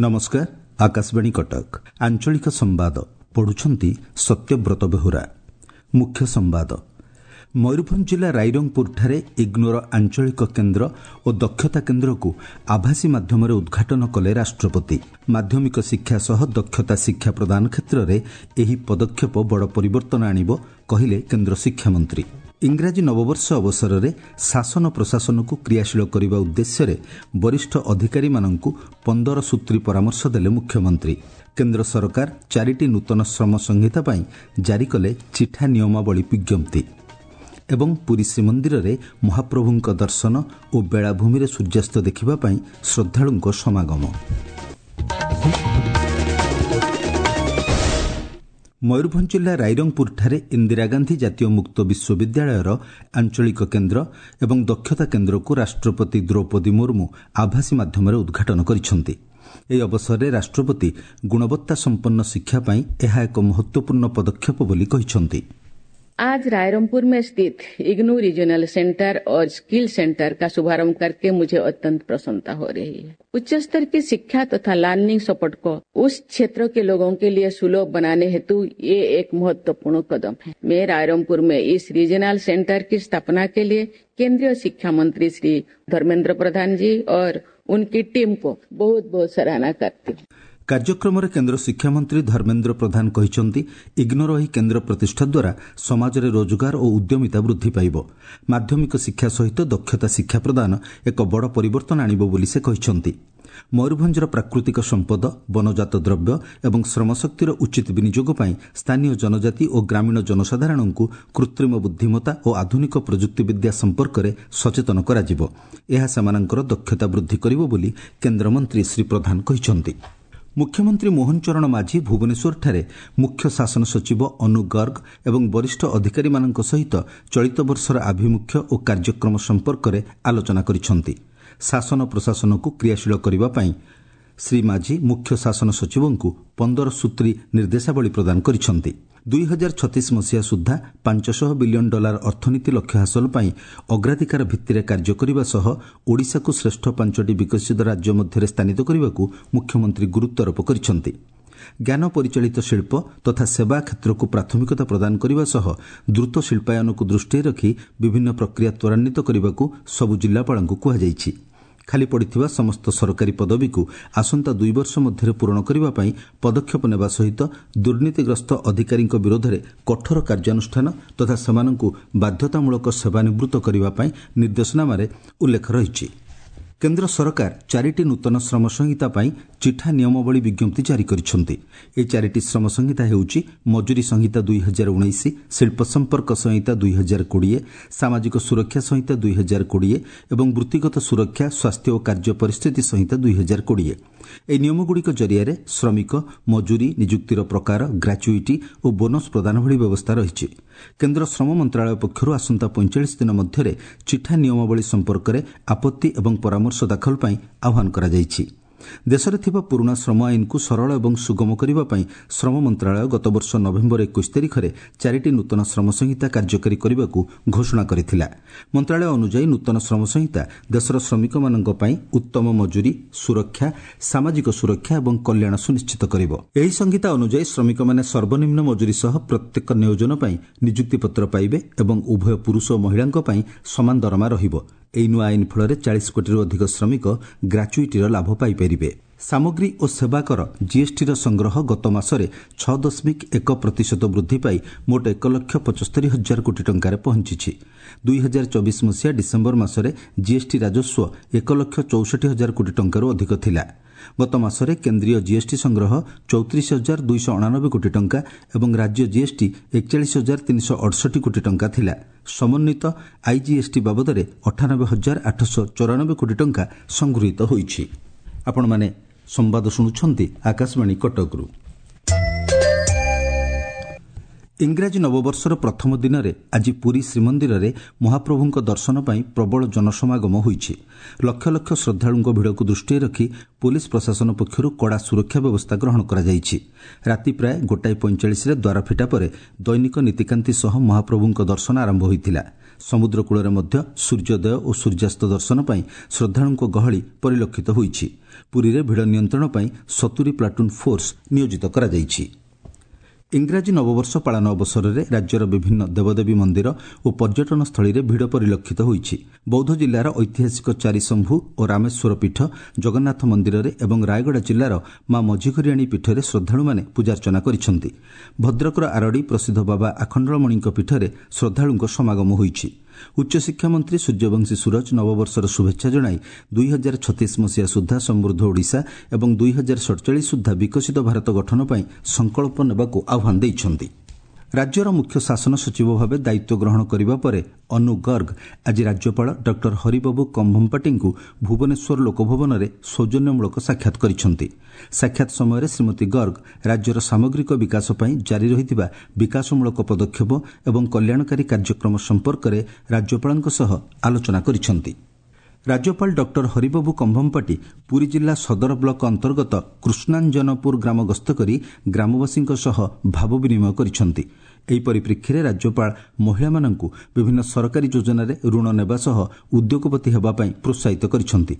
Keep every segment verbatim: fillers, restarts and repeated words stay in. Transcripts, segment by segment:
ନମସ୍କାର, ଆକାଶବାଣୀ କଟକ, ଆଞ୍ଚଳିକ ସମ୍ବାଦ ପଢୁଛନ୍ତି ସତ୍ୟବ୍ରତ ବେହୁରା। ମୁଖ୍ୟ ସମ୍ବାଦ। ମୟୂରଭଞ୍ଜ ଜିଲ୍ଲା ରାଇରଙ୍ଗପୁରଠାରେ ଇଗ୍ନୋର ଆଞ୍ଚଳିକ କେନ୍ଦ୍ର ଓ ଦକ୍ଷତା କେନ୍ଦ୍ରକୁ ଆଭାସୀ ମାଧ୍ୟମରେ ଉଦ୍ଘାଟନ କଲେ ରାଷ୍ଟ୍ରପତି। ମାଧ୍ୟମିକ ଶିକ୍ଷା ସହ ଦକ୍ଷତା ଶିକ୍ଷା ପ୍ରଦାନ କ୍ଷେତ୍ରରେ ଏହି ପଦକ୍ଷେପ ବଡ଼ ପରିବର୍ତ୍ତନ ଆଣିବ, କହିଲେ କେନ୍ଦ୍ର ଶିକ୍ଷାମନ୍ତ୍ରୀ। ଇଂରାଜୀ ନବବର୍ଷ ଅବସରରେ ଶାସନ ପ୍ରଶାସନକୁ କ୍ରିୟାଶୀଳ କରିବା ଉଦ୍ଦେଶ୍ୟରେ ବରିଷ୍ଠ ଅଧିକାରୀମାନଙ୍କୁ ପନ୍ଦର ସୂତ୍ରୀ ପରାମର୍ଶ ଦେଲେ ମୁଖ୍ୟମନ୍ତ୍ରୀ। କେନ୍ଦ୍ର ସରକାର ଚାରିଟି ନୂତନ ଶ୍ରମ ସଂହିତା ପାଇଁ ଜାରି କଲେ ଚିଠା ନିୟମାବଳୀ ବିଜ୍ଞପ୍ତି। ଏବଂ ପୁରୀ ଶ୍ରୀମନ୍ଦିରରେ ମହାପ୍ରଭୁଙ୍କ ଦର୍ଶନ ଓ ବେଳାଭୂମିରେ ସୂର୍ଯ୍ୟାସ୍ତ ଦେଖିବା ପାଇଁ ଶ୍ରଦ୍ଧାଳୁଙ୍କ ସମାଗମ। ମୟୂରଭଞ୍ଜ ଜିଲ୍ଲା ରାଇରଙ୍ଗପୁରଠାରେ ଇନ୍ଦିରା ଗାନ୍ଧୀ ଜାତୀୟ ମୁକ୍ତ ବିଶ୍ୱବିଦ୍ୟାଳୟର ଆଞ୍ଚଳିକ କେନ୍ଦ୍ର ଏବଂ ଦକ୍ଷତା କେନ୍ଦ୍ରକୁ ରାଷ୍ଟ୍ରପତି ଦ୍ରୌପଦୀ ମୁର୍ମୁ ଆଭାସୀ ମାଧ୍ୟମରେ ଉଦ୍ଘାଟନ କରିଛନ୍ତି। ଏହି ଅବସରରେ ରାଷ୍ଟ୍ରପତି ଗୁଣବତ୍ତା ସମ୍ପନ୍ନ ଶିକ୍ଷା ପାଇଁ ଏହା ଏକ ମହତ୍ୱପୂର୍ଣ୍ଣ ପଦକ୍ଷେପ ବୋଲି କହିଛନ୍ତି। आज रायरंगपुर में स्थित इग्नू रीजनल सेंटर और स्किल सेंटर का शुभारंभ करके मुझे अत्यंत प्रसन्नता हो रही है। उच्च स्तर की शिक्षा तथा लर्निंग सपोर्ट को उस क्षेत्र के लोगों के लिए सुलभ बनाने हेतु ये एक महत्वपूर्ण कदम है। मैं रायरंगपुर में इस रीजनल सेंटर की स्थापना के लिए केंद्रीय शिक्षा मंत्री श्री धर्मेंद्र प्रधान जी और उनकी टीम को बहुत बहुत सराहना करती हूँ। କାର୍ଯ୍ୟକ୍ରମରେ କେନ୍ଦ୍ର ଶିକ୍ଷାମନ୍ତ୍ରୀ ଧର୍ମେନ୍ଦ୍ର ପ୍ରଧାନ କହିଛନ୍ତି, ଇଗ୍ନୋର ଏହି କେନ୍ଦ୍ର ପ୍ରତିଷ୍ଠା ଦ୍ୱାରା ସମାଜରେ ରୋଜଗାର ଓ ଉଦ୍ୟମିତା ବୃଦ୍ଧି ପାଇବ। ମାଧ୍ୟମିକ ଶିକ୍ଷା ସହିତ ଦକ୍ଷତା ଶିକ୍ଷା ପ୍ରଦାନ ଏକ ବଡ଼ ପରିବର୍ତ୍ତନ ଆଣିବ ବୋଲି ସେ କହିଛନ୍ତି। ମୟୂରଭଞ୍ଜର ପ୍ରାକୃତିକ ସମ୍ପଦ, ବନଜାତ ଦ୍ରବ୍ୟ ଏବଂ ଶ୍ରମଶକ୍ତିର ଉଚିତ ବିନିଯୋଗ ପାଇଁ ସ୍ଥାନୀୟ ଜନଜାତି ଓ ଗ୍ରାମୀଣ ଜନସାଧାରଣଙ୍କୁ କୃତ୍ରିମ ବୁଦ୍ଧିମତ୍ତା ଓ ଆଧୁନିକ ପ୍ରଯୁକ୍ତିବିଦ୍ୟା ସମ୍ପର୍କରେ ସଚେତନ କରାଯିବ। ଏହା ସେମାନଙ୍କର ଦକ୍ଷତା ବୃଦ୍ଧି କରିବ ବୋଲି କେନ୍ଦ୍ରମନ୍ତ୍ରୀ ଶ୍ରୀ ପ୍ରଧାନ କହିଛନ୍ତି। ମୁଖ୍ୟମନ୍ତ୍ରୀ ମୋହନ ଚରଣ ମାଝୀ ଭୁବନେଶ୍ୱରଠାରେ ମୁଖ୍ୟ ଶାସନ ସଚିବ ଅନୁ ଗର୍ଗ ଏବଂ ବରିଷ୍ଠ ଅଧିକାରୀମାନଙ୍କ ସହିତ ଚଳିତ ବର୍ଷର ଆଭିମୁଖ୍ୟ ଓ କାର୍ଯ୍ୟକ୍ରମ ସମ୍ପର୍କରେ ଆଲୋଚନା କରିଛନ୍ତି। ଶାସନ ପ୍ରଶାସନକୁ କ୍ରିୟାଶୀଳ କରିବା ପାଇଁ ଶ୍ରୀ ମାଝୀ ମୁଖ୍ୟ ଶାସନ ସଚିବଙ୍କୁ ପନ୍ଦର ସୂତ୍ରୀ ନିର୍ଦ୍ଦେଶାବଳୀ ପ୍ରଦାନ କରିଛନ୍ତି। ଦୁଇ ହଜାର ଛତିଶ ମସିହା ସୁଦ୍ଧା ପାଞ୍ଚଶହ ବିଲିୟନ ଡଲାର ଅର୍ଥନୀତି ଲକ୍ଷ୍ୟ ହାସଲ ପାଇଁ ଅଗ୍ରାଧିକାର ଭିତ୍ତିରେ କାର୍ଯ୍ୟ କରିବା ସହ ଓଡ଼ିଶାକୁ ଶ୍ରେଷ୍ଠ ପାଞ୍ଚଟି ବିକଶିତ ରାଜ୍ୟ ମଧ୍ୟରେ ସ୍ଥାନିତ କରିବାକୁ ମୁଖ୍ୟମନ୍ତ୍ରୀ ଗୁରୁତ୍ୱାରୋପ କରିଛନ୍ତି। ଜ୍ଞାନ ପରିଚାଳିତ ଶିଳ୍ପ ତଥା ସେବା କ୍ଷେତ୍ରକୁ ପ୍ରାଥମିକତା ପ୍ରଦାନ କରିବା ସହ ଦ୍ରୁତ ଶିଳ୍ପାୟନକୁ ଦୃଷ୍ଟିରେ ରଖି ବିଭିନ୍ନ ପ୍ରକ୍ରିୟା ତ୍ୱରାନ୍ୱିତ କରିବାକୁ ସବୁ ଜିଲ୍ଲାପାଳଙ୍କୁ କୁହାଯାଇଛି। ଖାଲି ପଡ଼ିଥିବା ସମସ୍ତ ସରକାରୀ ପଦବୀକୁ ଆସନ୍ତା ଦୁଇ ବର୍ଷ ମଧ୍ୟରେ ପୂରଣ କରିବା ପାଇଁ ପଦକ୍ଷେପ ନେବା ସହିତ ଦୁର୍ନୀତିଗ୍ରସ୍ତ ଅଧିକାରୀଙ୍କ ବିରୋଧରେ କଠୋର କାର୍ଯ୍ୟାନୁଷ୍ଠାନ ତଥା ସେମାନଙ୍କୁ ବାଧ୍ୟତାମୂଳକ ସେବାନିବୃତ୍ତ କରିବା ପାଇଁ ନିର୍ଦ୍ଦେଶନାମାରେ ଉଲ୍ଲେଖ ରହିଛି। କେନ୍ଦ୍ର ସରକାର ଚାରିଟି ନୂତନ ଶ୍ରମ ସଂହିତା ପାଇଁ ଚିଠା ନିୟମାବଳୀ ବିଜ୍ଞପ୍ତି ଜାରି କରିଛନ୍ତି। ଏହି ଚାରିଟି ଶ୍ରମ ସଂହିତା ହେଉଛି ମଜୁରୀ ସଂହିତା ଦୁଇ ହଜାର ଉଣେଇଶ, ଶିଳ୍ପ ସମ୍ପର୍କ ସଂହିତା ଦୁଇ ହଜାର କୋଡ଼ିଏ, ସାମାଜିକ ସୁରକ୍ଷା ସଂହିତା ଦୁଇ ହଜାର କୋଡ଼ିଏ ଏବଂ ବୃତ୍ତିଗତ ସୁରକ୍ଷା, ସ୍ୱାସ୍ଥ୍ୟ ଓ କାର୍ଯ୍ୟ ପରିସ୍ଥିତି ସଂହିତା ଦୁଇ ହଜାର କୋଡ଼ିଏ। ଏହି ନିୟମଗୁଡ଼ିକ ଜରିଆରେ ଶ୍ରମିକ, ମଜୁରୀ, ନିଯୁକ୍ତିର ପ୍ରକାର, ଗ୍ରାଚୁଇଟି ଓ ବୋନସ୍ ପ୍ରଦାନ ଭଳି ବ୍ୟବସ୍ଥା ରହିଛି। କେନ୍ଦ୍ର ଶ୍ରମ ମନ୍ତ୍ରଣାଳୟ ପକ୍ଷରୁ ଆସନ୍ତା ପଇଁଚାଳିଶ ଦିନ ମଧ୍ୟରେ ଚିଠା ନିୟମାବଳୀ ସମ୍ପର୍କରେ ଆପତ୍ତି ଏବଂ ପରାମର୍ଶ ଦାଖଲ ପାଇଁ ଆହ୍ୱାନ କରାଯାଇଛି। ଦେଶରେ ଥିବା ପୁରୁଣା ଶ୍ରମ ଆଇନକୁ ସରଳ ଏବଂ ସୁଗମ କରିବା ପାଇଁ ଶ୍ରମ ମନ୍ତ୍ରଣାଳୟ ଗତବର୍ଷ ନଭେମ୍ବର ଏକୋଇଶ ତାରିଖରେ ଚାରିଟି ନୂତନ ଶ୍ରମ ସଂହିତା କାର୍ଯ୍ୟକାରୀ କରିବାକୁ ଘୋଷଣା କରିଥିଲା। ମନ୍ତ୍ରଣାଳୟ ଅନୁଯାୟୀ ନୂତନ ଶ୍ରମ ସଂହିତା ଦେଶର ଶ୍ରମିକମାନଙ୍କ ପାଇଁ ଉତ୍ତମ ମଜୁରୀ, ସୁରକ୍ଷା, ସାମାଜିକ ସୁରକ୍ଷା ଏବଂ କଲ୍ୟାଣ ସୁନିଶ୍ଚିତ କରିବ। ଏହି ସଂହିତା ଅନୁଯାୟୀ ଶ୍ରମିକମାନେ ସର୍ବନିମ୍ନ ମଜୁରୀ ସହ ପ୍ରତ୍ୟେକ ନିୟୋଜନ ପାଇଁ ନିଯୁକ୍ତିପତ୍ର ପାଇବେ ଏବଂ ଉଭୟ ପୁରୁଷ ଓ ମହିଳାଙ୍କ ପାଇଁ ସମାନ ଦରମା ରହିବ। ଏହି ନୂଆ ଆଇନ ଫଳରେ ଚାଳିଶ କୋଟିରୁ ଅଧିକ ଶ୍ରମିକ ଗ୍ରାଚୁଇଟିର ଲାଭ ପାଇପାରିବେ। ସାମଗ୍ରୀ ଓ ସେବା କର ଜିଏସ୍ଟିର ସଂଗ୍ରହ ଗତ ମାସରେ ଛଅ ଦଶମିକ ଏକ ପ୍ରତିଶତ ବୃଦ୍ଧି ପାଇ ମୋଟ ଏକ ଲକ୍ଷ ପଞ୍ଚସ୍ତରୀ ହଜାର କୋଟି ଟଙ୍କାରେ ପହଞ୍ଚିଛି। ଦୁଇ ହଜାର ଚବିଶ ମସିହା ଡିସେମ୍ବର ମାସରେ ଜିଏସ୍ଟି ରାଜସ୍ୱ ଏକ ଲକ୍ଷ ଚଉଷଠି ହଜାର କୋଟି ଟଙ୍କାରୁ ଅଧିକ ଥିଲା। ଗତ ମାସରେ କେନ୍ଦ୍ରୀୟ ଜିଏସ୍ଟି ସଂଗ୍ରହ ଚଉତିରିଶ ହଜାର ଦୁଇଶହ ଅଣାନବେ କୋଟି ଟଙ୍କା ଏବଂ ରାଜ୍ୟ ଜିଏସ୍ଟି ଏକଚାଳିଶ ହଜାର ତିନିଶହ ଅଠଷଠି କୋଟି ଟଙ୍କା ଥିଲା। ସମନ୍ୱିତ ଆଇଜିଏସ୍ଟି ବାବଦରେ ଅଠାନବେ ହଜାର ଆଠଶହ ଚଉରାନବେ କୋଟି ଟଙ୍କା ସଂଗୃହୀତ ହୋଇଛି। ଆପଣମାନେ ସମ୍ବାଦ ଶୁଣୁଛନ୍ତି ଆକାଶବାଣୀ କଟକରୁ। ଇଂରାଜୀ ନବବର୍ଷର ପ୍ରଥମ ଦିନରେ ଆଜି ପୁରୀ ଶ୍ରୀମନ୍ଦିରରେ ମହାପ୍ରଭୁଙ୍କ ଦର୍ଶନ ପାଇଁ ପ୍ରବଳ ଜନସମାଗମ ହୋଇଛି। ଲକ୍ଷ ଲକ୍ଷ ଶ୍ରଦ୍ଧାଳୁଙ୍କ ଭିଡ଼କୁ ଦୃଷ୍ଟିରେ ରଖି ପୋଲିସ ପ୍ରଶାସନ ପକ୍ଷରୁ କଡ଼ା ସୁରକ୍ଷା ବ୍ୟବସ୍ଥା ଗ୍ରହଣ କରାଯାଇଛି। ରାତି ପ୍ରାୟ ଗୋଟାଏ ପଇଁଚାଳିଶରେ ଦ୍ୱାର ଫିଟା ପରେ ଦୈନିକ ନୀତିକାନ୍ତି ସହ ମହାପ୍ରଭୁଙ୍କ ଦର୍ଶନ ଆରମ୍ଭ ହୋଇଥିଲା। ସମୁଦ୍ର କୂଳରେ ମଧ୍ୟ ସୂର୍ଯ୍ୟୋଦୟ ଓ ସୂର୍ଯ୍ୟାସ୍ତ ଦର୍ଶନ ପାଇଁ ଶ୍ରଦ୍ଧାଳୁଙ୍କ ଗହଳି ପରିଲକ୍ଷିତ ହୋଇଛି। ପୁରୀରେ ଭିଡ଼ ନିୟନ୍ତ୍ରଣ ପାଇଁ ସତୁରି ପ୍ଲାଟୁନ୍ ଫୋର୍ସ ନିୟୋଜିତ କରାଯାଇଛି। ଇଂରାଜୀ ନବବର୍ଷ ପାଳନ ଅବସରରେ ରାଜ୍ୟର ବିଭିନ୍ନ ଦେବଦେବୀ ମନ୍ଦିର ଓ ପର୍ଯ୍ୟଟନସ୍ଥଳୀରେ ଭିଡ଼ ପରିଲକ୍ଷିତ ହୋଇଛି। ବୌଦ୍ଧ ଜିଲ୍ଲାର ଐତିହାସିକ ଚାରିଶମ୍ଭୁ ଓ ରାମେଶ୍ୱର ପୀଠ, ଜଗନ୍ନାଥ ମନ୍ଦିରରେ ଏବଂ ରାୟଗଡ଼ା ଜିଲ୍ଲାର ମା ମଝିଘରିଆଣୀ ପୀଠରେ ଶ୍ରଦ୍ଧାଳୁମାନେ ପୂଜାର୍ଚ୍ଚନା କରିଛନ୍ତି। ଭଦ୍ରକର ଆରଡ଼ି ପ୍ରସିଦ୍ଧ ବାବା ଆଖଣ୍ଡଳମଣିଙ୍କ ପୀଠରେ ଶ୍ରଦ୍ଧାଳୁଙ୍କ ସମାଗମ ହୋଇଛି। ଉଚ୍ଚଶିକ୍ଷା ମନ୍ତ୍ରୀ ସୂର୍ଯ୍ୟବଂଶୀ ସୂରଜ ନବବର୍ଷର ଶୁଭେଚ୍ଛା ଜଣାଇ ଦୁଇ ହଜାର ଛତିଶ ମସିହା ସୁଦ୍ଧା ସମୃଦ୍ଧ ଓଡ଼ିଶା ଏବଂ ଦୁଇ ହଜାର ସଡ଼ଚାଳିଶ ସୁଦ୍ଧା ବିକଶିତ ଭାରତ ଗଠନ ପାଇଁ ସଂକଳ୍ପ ନେବାକୁ ଆହ୍ୱାନ ଦେଇଛନ୍ତି। ରାଜ୍ୟର ମୁଖ୍ୟ ଶାସନ ସଚିବ ଭାବେ ଦାୟିତ୍ୱ ଗ୍ରହଣ କରିବା ପରେ ଅନୁ ଗର୍ଗ ଆଜି ରାଜ୍ୟପାଳ ଡକ୍ଟର ହରିବାବୁ କମ୍ଭମପାଟିଙ୍କୁ ଭୁବନେଶ୍ୱର ଲୋକଭବନରେ ସୌଜନ୍ୟମୂଳକ ସାକ୍ଷାତ କରିଛନ୍ତି। ସାକ୍ଷାତ ସମୟରେ ଶ୍ରୀମତୀ ଗର୍ଗ ରାଜ୍ୟର ସାମଗ୍ରିକ ବିକାଶ ପାଇଁ ଜାରି ରହିଥିବା ବିକାଶମୂଳକ ପଦକ୍ଷେପ ଏବଂ କଲ୍ୟାଣକାରୀ କାର୍ଯ୍ୟକ୍ରମ ସମ୍ପର୍କରେ ରାଜ୍ୟପାଳଙ୍କ ସହ ଆଲୋଚନା କରିଛନ୍ତି। ରାଜ୍ୟପାଳ ଡକ୍ଟର ହରିବାବୁ କମ୍ଭମପାଟି ପୁରୀ ଜିଲ୍ଲା ସଦର ବ୍ଲକ ଅନ୍ତର୍ଗତ କୃଷ୍ଣାଞ୍ଜନପୁର ଗ୍ରାମ ଗସ୍ତ କରି ଗ୍ରାମବାସୀଙ୍କ ସହ ଭାବ ବିନିମୟ କରିଛନ୍ତି। ଏହି ପରିପ୍ରେକ୍ଷୀରେ ରାଜ୍ୟପାଳ ମହିଳାମାନଙ୍କୁ ବିଭିନ୍ନ ସରକାରୀ ଯୋଜନାରେ ଋଣ ନେବା ସହ ଉଦ୍ୟୋଗପତି ହେବା ପାଇଁ ପ୍ରୋତ୍ସାହିତ କରିଛନ୍ତି।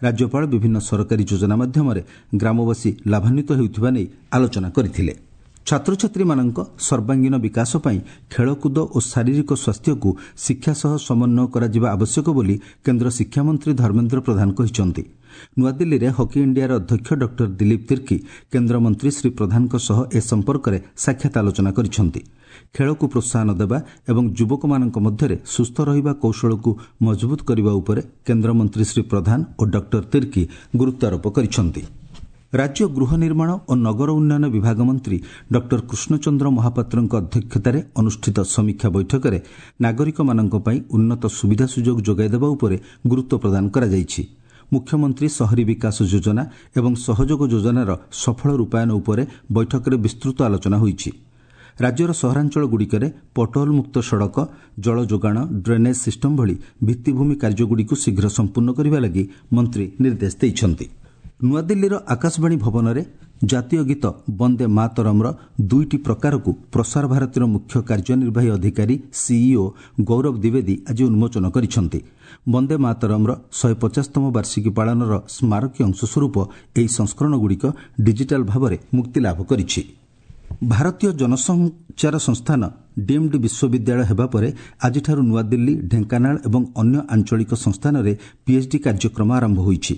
ରାଜ୍ୟପାଳ ବିଭିନ୍ନ ସରକାରୀ ଯୋଜନା ମାଧ୍ୟମରେ ଗ୍ରାମବାସୀ ଲାଭାନ୍ୱିତ ହେଉଥିବା ନେଇ ଆଲୋଚନା କରିଥିଲେ। ଛାତ୍ରଛାତ୍ରୀମାନଙ୍କ ସର୍ବାଙ୍ଗୀନ ବିକାଶ ପାଇଁ ଖେଳକୁଦ ଓ ଶାରୀରିକ ସ୍ୱାସ୍ଥ୍ୟକୁ ଶିକ୍ଷା ସହ ସମନ୍ୱୟ କରାଯିବା ଆବଶ୍ୟକ ବୋଲି କେନ୍ଦ୍ର ଶିକ୍ଷାମନ୍ତ୍ରୀ ଧର୍ମେନ୍ଦ୍ର ପ୍ରଧାନ କହିଛନ୍ତି। ନୂଆଦିଲ୍ଲୀରେ ହକି ଇଣ୍ଡିଆର ଅଧ୍ୟକ୍ଷ ଡକ୍ଟର ଦିଲୀପ ତିର୍କୀ କେନ୍ଦ୍ରମନ୍ତ୍ରୀ ଶ୍ରୀ ପ୍ରଧାନଙ୍କ ସହ ଏ ସମ୍ପର୍କରେ ସାକ୍ଷାତ ଆଲୋଚନା କରିଛନ୍ତି। ଖେଳକୁ ପ୍ରୋତ୍ସାହନ ଦେବା ଏବଂ ଯୁବକମାନଙ୍କ ମଧ୍ୟରେ ସୁସ୍ଥ ରହିବା କୌଶଳକୁ ମଜବୁତ କରିବା ଉପରେ କେନ୍ଦ୍ରମନ୍ତ୍ରୀ ଶ୍ରୀ ପ୍ରଧାନ ଓ ଡକ୍ଟର ତିର୍କୀ ଗୁରୁତ୍ୱାରୋପ କରିଛନ୍ତି। ରାଜ୍ୟ ଗୃହ ନିର୍ମାଣ ଓ ନଗର ଉନ୍ନୟନ ବିଭାଗ ମନ୍ତ୍ରୀ ଡକ୍ଟର କୃଷ୍ଣଚନ୍ଦ୍ର ମହାପାତ୍ରଙ୍କ ଅଧ୍ୟକ୍ଷତାରେ ଅନୁଷ୍ଠିତ ସମୀକ୍ଷା ବୈଠକରେ ନାଗରିକମାନଙ୍କ ପାଇଁ ଉନ୍ନତ ସୁବିଧା ସୁଯୋଗ ଯୋଗାଇ ଦେବା ଉପରେ ଗୁରୁତ୍ୱ ପ୍ରଦାନ କରାଯାଇଛି। ମୁଖ୍ୟମନ୍ତ୍ରୀ ସହରୀ ବିକାଶ ଯୋଜନା ଏବଂ ସହଯୋଗ ଯୋଜନାର ସଫଳ ରୂପାୟନ ଉପରେ ବୈଠକରେ ବିସ୍ତୃତ ଆଲୋଚନା ହୋଇଛି। ରାଜ୍ୟର ସହରାଞ୍ଚଳଗୁଡ଼ିକରେ ପଟହୋଲ ମୁକ୍ତ ସଡ଼କ, ଜଳ ଯୋଗାଣ, ଡ୍ରେନେଜ୍ ସିଷ୍ଟମ ଭଳି ଭିତ୍ତିଭୂମି କାର୍ଯ୍ୟଗୁଡ଼ିକୁ ଶୀଘ୍ର ସମ୍ପୂର୍ଣ୍ଣ କରିବା ଲାଗି ମନ୍ତ୍ରୀ ନିର୍ଦ୍ଦେଶ ଦେଇଛନ୍ତି। ନୂଆଦିଲ୍ଲୀର ଆକାଶବାଣୀ ଭବନରେ ଜାତୀୟ ଗୀତ ବନ୍ଦେ ମାତରମ୍ର ଦୁଇଟି ପ୍ରକାରକୁ ପ୍ରସାର ଭାରତୀର ମୁଖ୍ୟ କାର୍ଯ୍ୟନିର୍ବାହୀ ଅଧିକାରୀ ସିଇଓ ଗୌରବ ଦ୍ୱିବେଦୀ ଆଜି ଉନ୍ମୋଚନ କରିଛନ୍ତି। ବନ୍ଦେ ମାତରମ୍ର ଶହେ ପଚାଶତମ ବାର୍ଷିକୀ ପାଳନର ସ୍ମାରକୀ ଅଂଶସ୍ୱରୂପ ଏହି ସଂସ୍କରଣଗୁଡ଼ିକ ଡିଜିଟାଲ ଭାବରେ ମୁକ୍ତିଲାଭ କରିଛି। ଭାରତୀୟ ଜନସଞ୍ଚାର ସଂସ୍ଥାନ ଡିମ୍ଡ ବିଶ୍ୱବିଦ୍ୟାଳୟ ହେବା ପରେ ଆଜିଠାରୁ ନୂଆଦିଲ୍ଲୀ, ଢେଙ୍କାନାଳ ଏବଂ ଅନ୍ୟ ଆଞ୍ଚଳିକ ସଂସ୍ଥାନରେ ପିଏଚ୍ଡି କାର୍ଯ୍ୟକ୍ରମ ଆରମ୍ଭ ହୋଇଛି।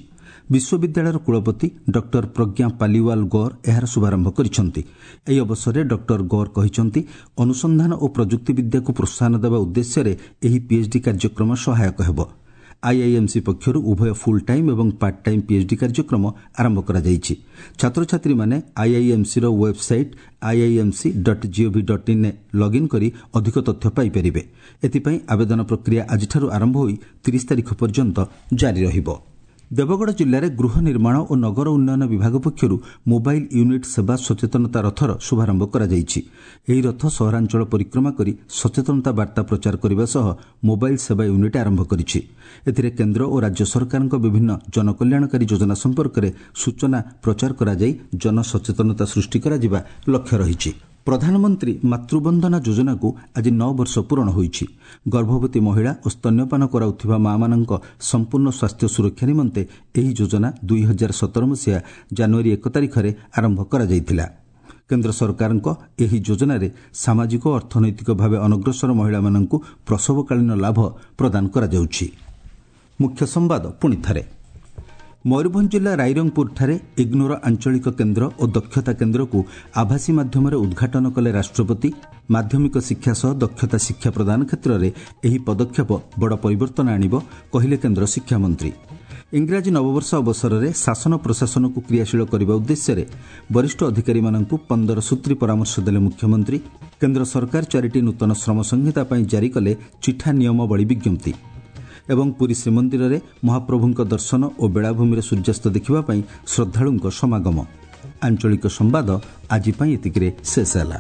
ବିଶ୍ୱବିଦ୍ୟାଳୟର କୁଳପତି ଡକ୍ଟର ପ୍ରଜ୍ଞା ପାଲିୱାଲ ଗୌର ଏହାର ଶୁଭାରମ୍ଭ କରିଛନ୍ତି। ଏହି ଅବସରରେ ଡକ୍ଟର ଗୌର କହିଛନ୍ତି, ଅନୁସନ୍ଧାନ ଓ ପ୍ରଯୁକ୍ତିବିଦ୍ୟାକୁ ପ୍ରୋତ୍ସାହନ ଦେବା ଉଦ୍ଦେଶ୍ୟରେ ଏହି ପିଏଚ୍ଡି କାର୍ଯ୍ୟକ୍ରମ ସହାୟକ ହେବ। ଆଇଆଇଏମ୍ସି ପକ୍ଷରୁ ଉଭୟ ଫୁଲ୍ ଟାଇମ୍ ଏବଂ ପାର୍ଟ ଟାଇମ୍ ପିଏଚ୍ଡି କାର୍ଯ୍ୟକ୍ରମ ଆରମ୍ଭ କରାଯାଇଛି। ଛାତ୍ରଛାତ୍ରୀମାନେ ଆଇଆଇଏମ୍ସିର website IIMC dot GOV dot ଇନ୍ରେ login କରି ଅଧିକ ତଥ୍ୟ ପାଇପାରିବେ। ଏଥିପାଇଁ ଆବେଦନ ପ୍ରକ୍ରିୟା ଆଜିଠାରୁ ଆରମ୍ଭ ହୋଇ ତିରିଶ ତାରିଖ ପର୍ଯ୍ୟନ୍ତ ଜାରି ରହିବ। ଦେବଗଡ଼ ଜିଲ୍ଲାରେ ଗୃହ ନିର୍ମାଣ ଓ ନଗର ଉନ୍ନୟନ ବିଭାଗ ପକ୍ଷରୁ ମୋବାଇଲ୍ ୟୁନିଟ୍ ସେବା ସଚେତନତା ରଥର ଶୁଭାରମ୍ଭ କରାଯାଇଛି। ଏହି ରଥ ସହରାଞ୍ଚଳ ପରିକ୍ରମା କରି ସଚେତନତା ବାର୍ତ୍ତା ପ୍ରଚାର କରିବା ସହ ମୋବାଇଲ୍ ସେବା ୟୁନିଟ୍ ଆରମ୍ଭ କରିଛି। ଏଥିରେ କେନ୍ଦ୍ର ଓ ରାଜ୍ୟ ସରକାରଙ୍କ ବିଭିନ୍ନ ଜନକଲ୍ୟାଣକାରୀ ଯୋଜନା ସମ୍ପର୍କରେ ସୂଚନା ପ୍ରଚାର କରାଯାଇ ଜନସଚେତନତା ସୃଷ୍ଟି କରାଯିବା ଲକ୍ଷ୍ୟ ରହିଛି। ପ୍ରଧାନମନ୍ତ୍ରୀ ମାତୃବନ୍ଦନା ଯୋଜନାକୁ ଆଜି ନଅ ବର୍ଷ ପୂରଣ ହୋଇଛି। ଗର୍ଭବତୀ ମହିଳା ଓ ସ୍ତନ୍ୟପାନ କରାଉଥିବା ମା'ମାନଙ୍କ ସମ୍ପୂର୍ଣ୍ଣ ସ୍ୱାସ୍ଥ୍ୟ ସୁରକ୍ଷା ନିମନ୍ତେ ଏହି ଯୋଜନା ଦୁଇ ହଜାର ସତର ମସିହା ଜାନୁଆରୀ ଏକ ତାରିଖରେ ଆରମ୍ଭ କରାଯାଇଥିଲା। କେନ୍ଦ୍ର ସରକାରଙ୍କ ଏହି ଯୋଜନାରେ ସାମାଜିକ ଓ ଅର୍ଥନୈତିକ ଭାବେ ଅନଗ୍ରସର ମହିଳାମାନଙ୍କୁ ପ୍ରସବକାଳୀନ ଲାଭ ପ୍ରଦାନ କରାଯାଉଛି। ମୁଖ୍ୟ ସମ୍ବାଦ ପୁଣି ଥରେ। ମୟୂରଭଞ୍ଜ ଜିଲ୍ଲା ରାଇରଙ୍ଗପୁରଠାରେ ଇଗ୍ନୋର ଆଞ୍ଚଳିକ କେନ୍ଦ୍ର ଓ ଦକ୍ଷତା କେନ୍ଦ୍ରକୁ ଆଭାସୀ ମାଧ୍ୟମରେ ଉଦ୍ଘାଟନ କଲେ ରାଷ୍ଟ୍ରପତି। ମାଧ୍ୟମିକ ଶିକ୍ଷା ସହ ଦକ୍ଷତା ଶିକ୍ଷା ପ୍ରଦାନ କ୍ଷେତ୍ରରେ ଏହି ପଦକ୍ଷେପ ବଡ଼ ପରିବର୍ତ୍ତନ ଆଣିବ, କହିଲେ କେନ୍ଦ୍ର ଶିକ୍ଷାମନ୍ତ୍ରୀ। ଇଂରାଜୀ ନବବର୍ଷ ଅବସରରେ ଶାସନ ପ୍ରଶାସନକୁ କ୍ରିୟାଶୀଳ କରିବା ଉଦ୍ଦେଶ୍ୟରେ ବରିଷ୍ଠ ଅଧିକାରୀମାନଙ୍କୁ ପନ୍ଦର ସୂତ୍ରୀ ପରାମର୍ଶ ଦେଲେ ମୁଖ୍ୟମନ୍ତ୍ରୀ। କେନ୍ଦ୍ର ସରକାର ଚାରିଟି ନୂତନ ଶ୍ରମ ସଂହିତା ପାଇଁ ଜାରି କଲେ ଚିଠା ନିୟମାବଳୀ ବିଜ୍ଞପ୍ତି। ଏବଂ ପୁରୀ ଶ୍ରୀମନ୍ଦିରରେ ମହାପ୍ରଭୁଙ୍କ ଦର୍ଶନ ଓ ବେଳାଭୂମିରେ ସୂର୍ଯ୍ୟାସ୍ତ ଦେଖିବା ପାଇଁ ଶ୍ରଦ୍ଧାଳୁଙ୍କ ସମାଗମ। ଆଞ୍ଚଳିକ ସମ୍ବାଦ ଆଜି ପାଇଁ ଏତିକିରେ ଶେଷ ହେଲା।